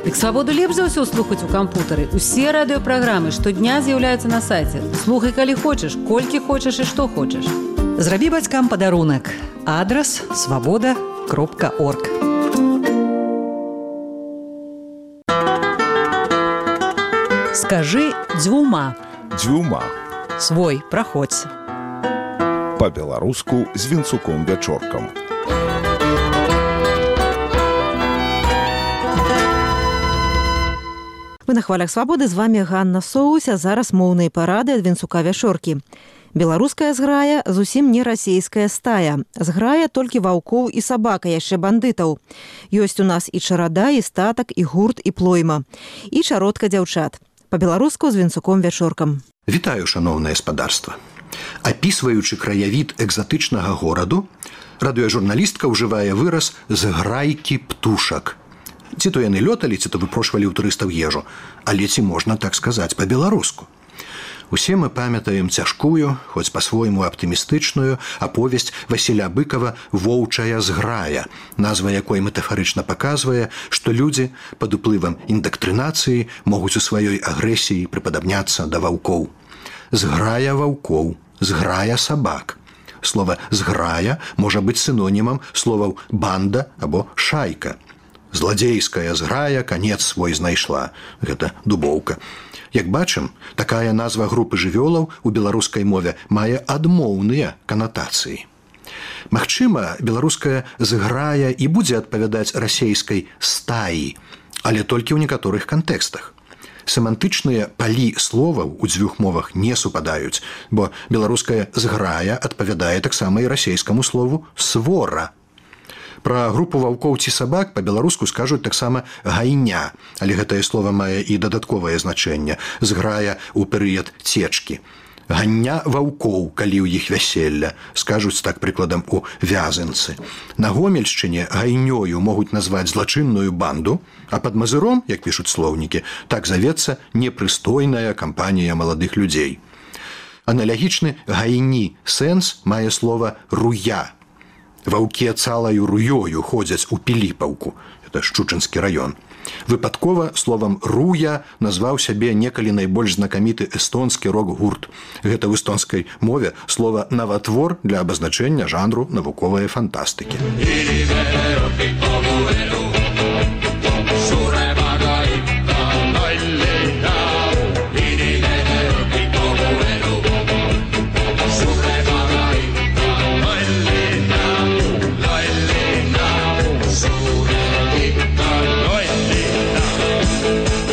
Дык свабоду лепш за ўсё слухаць у кампутары. Усе радыёпраграмы штодня з'яўляюцца на сайце. Слухай, калі хочаш, колькі хочаш і што хочаш. Зрабі бацькам падарунак. Адрас svoboda.org. Скажи дзвюма. Дзвюма. Свой, праходзь. Па-беларуску з Вінцуком-Вячоркам. Вы на хвалях свабоды, з вами Ганна Соусь, а зараз моўныя парады ад Вінцука-Вячоркі. Беларуская зграя зусім не расейская стая. Зграя толькі ваўкоў і сабака, яшчэ бандытаў. Ёсць у нас і чарада, і статак, і гурт, і плойма. І чародка дзяўчат. Па-беларуску з Вінцуком-Вячоркам. Вітаю, шаноўнае спадарства. Апісваючы краявід экзатычнага гораду, радыёжурналістка ўжывае выраз «зграйкі птушак». Ці то яны лёталі, ці то выпрошвалі ў турыстаў ежу, але ці можна так сказаць па-беларуску. Усе мы памятаем цяжкую, хоць па-свойму аптымістычную аповесць Васіля Быкава «Воўчая зграя», назва якой метафарычна паказвае, што людзі пад уплывам індактрынацыі могуць у сваёй агрэсіі прыпадабняцца да ваўкоў. Зграя ваўкоў, зграя сабак. Слова «зграя» можа быць сінонімам словаў «банда» або «шайка». Зладзейская зграя канец свой знайшла. Гэта дубоўка. Як бачым, такая назва групы жывёлаў у беларускай мове мае адмоўныя канатацыі. Магчыма, беларуская зграя і будзе адпавядаць расейскай стаі, але толькі ў некаторых кантэкстах. Семантычныя палі словаў у дзвюх мовах не супадаюць, бо беларуская зграя адпавядае таксама і расейскаму слову «свора». Пра групу ваўкоў ці сабак па-беларуску скажуць таксама «гайня», але гэтае слова мае і дадатковае значэнне – зграя ў перыяд цечкі. «Гання ваўкоў, калі ў іх вяселля», скажуць так прыкладам у Вязанцы. На Гомельшчыне гайнёю могуць назваць злачынную банду, а пад Мазыром, як пішуць слоўнікі, так завецца непрыстойная кампанія маладых людзей. Аналагічны гайні сэнс мае слова «руя». Ваўкі цалаю руёю ходзяць у Піліпаўку, это Шчучынскі раён. Выпадкова словам «руя» назваў сябе некалі найбольш знакаміты эстонскі рок-гурт. Гэта ў эстонскай мове слова «наватвор» для абазначэння жанру навуковай фантастыкі.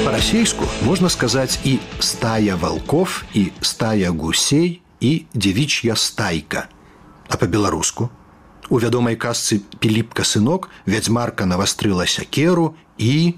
По-расейску можна сказаць і «стая валков», і «стая гусей», і «дзевіч'я стайка». А па-беларуску? У вядомай казцы «Піліпка сынок» вядзьмарка навастрыла сякеру і...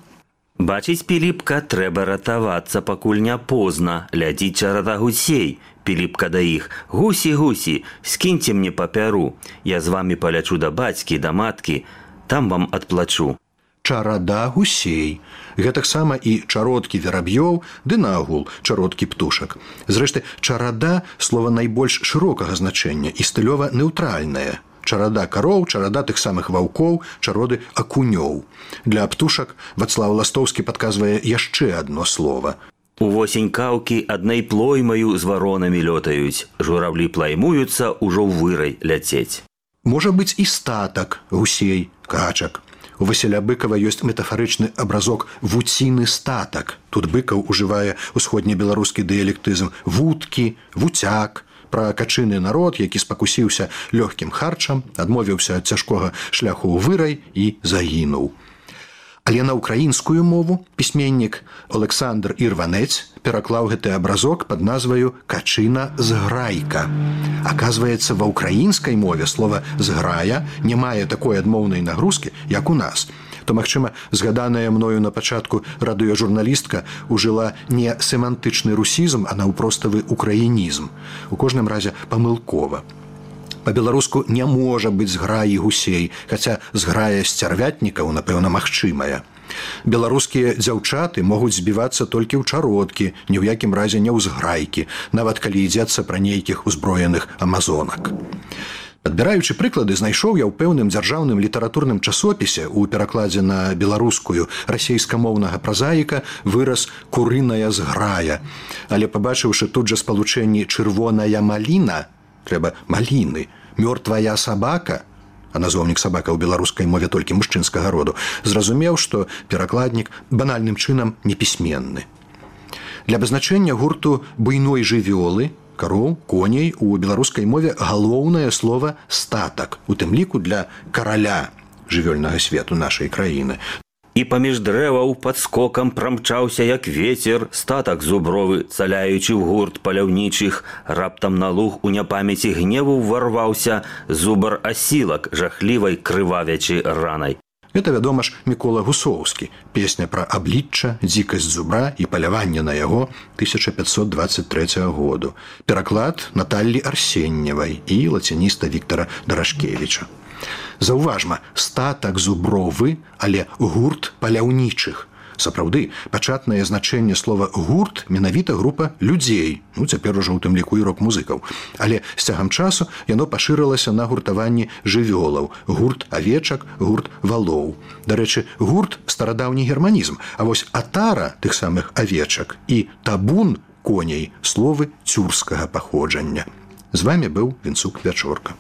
Бачыць, Піліпка, трэба ратавацца, пакуль не позна. Ляціць чарада гусей. Піліпка да іх. Гусі, гусі, скіньце мне папяру. Я з вамі палячу да бацькі, да маткі. Там вам адплачу. Чарада гусей. Гэтаксама і чародкі вераб'ёў, ды наогул чародкі птушак. Зрэшты, чарада – слова найбольш шырокага значэння і стылёва неўтральнае. Чарада кароў, чарада тых самых ваўкоў, чароды акунёў. Для птушак Вацлаў Ластоўскі падказвае яшчэ адно слова. Увосень каўкі аднай плоймаю з варонамі лётаюць. Журавлі плаймуюцца, ужо ў вырай ляцець. Можа быць і статак, гусей, качак. У Васіля Быкава ёсць метафарычны абразок «вуціны статак». Тут Быкаў ужывае усходнебеларускі дыялектызм «вуткі», «вуцяк», пра качыны народ, які спакусіўся лёгкім харчам, адмовіўся ад цяжкога шляху ў вырай і загінуў. Але на ўкраінскую мову пісьменнік Александр Ірванець пераклаў гэты абразок пад назваю «качына-зграйка». Аказваецца, ва ўкраінскай мове слова «зграя» не мае такой адмоўнай нагрузкі, як у нас. То, магчыма, згаданая мною на пачатку радыёжурналістка ужыла не семантычны русізм, а наўпроставы украінізм. У кожным разе памылкова. Па-беларуску не можа быць зграі гусей, хаця зграя сцярвятнікаў, напэўна, магчымая. Беларускія дзяўчаты могуць збівацца толькі ў чародкі, ні ў якім разе не ў зграйкі, нават калі ідзецца пра нейкіх узброеных амазонак. Адбіраючы прыклады, знайшоў я ў пэўным дзяржаўным літаратурным часопісе ў перакладзе на беларускую расейскамоўнага празаіка выраз «курыная зграя». Але пабачыўшы тут жа спалучэнні «чырвоная маліна», трэба «маліны», «мёртвая сабака», а назоўнік сабака ў беларускай мове толькі мужчынскага роду, зразумеў, што перакладнік банальным чынам непісьменны. Для абазначэння гурту буйной жывёлы, кароў, коней у беларускай мове галоўнае слова «статак», у тым ліку для караля жывёльнага свету нашай краіны. І паміж дрэваў пад скокам прамчаўся, як вецер, статак зубровы, цаляючы ў гурт паляўнічых. Раптам на луг у няпамяці гневу ўварваўся зубар асілак, жахлівай крывавячай ранай. Гэта, вядома ж, Мікола Гусоўскі, песня пра аблічча, дзікасць зубра і паляванне на яго 1523 году. Пераклад Наталлі Арсеньевай і лацініста Віктара Дарашкевіча. Заўважма, статак зубровы, але гурт паляўнічых. Сапраўды, пачатнае значэнне слова «гурт» менавіта група людзей, цяпер ужо ў тым ліку і рок-музыкаў. Але з цягам часу яно пашырылася на гуртаванні жывёлаў, гурт авечак, гурт валоў. Дарэчы, гурт – старадаўні германізм, а вось атара тых самых авечак і табун коней – словы цюрскага паходжання. З вамі быў Вінцук Вячорка.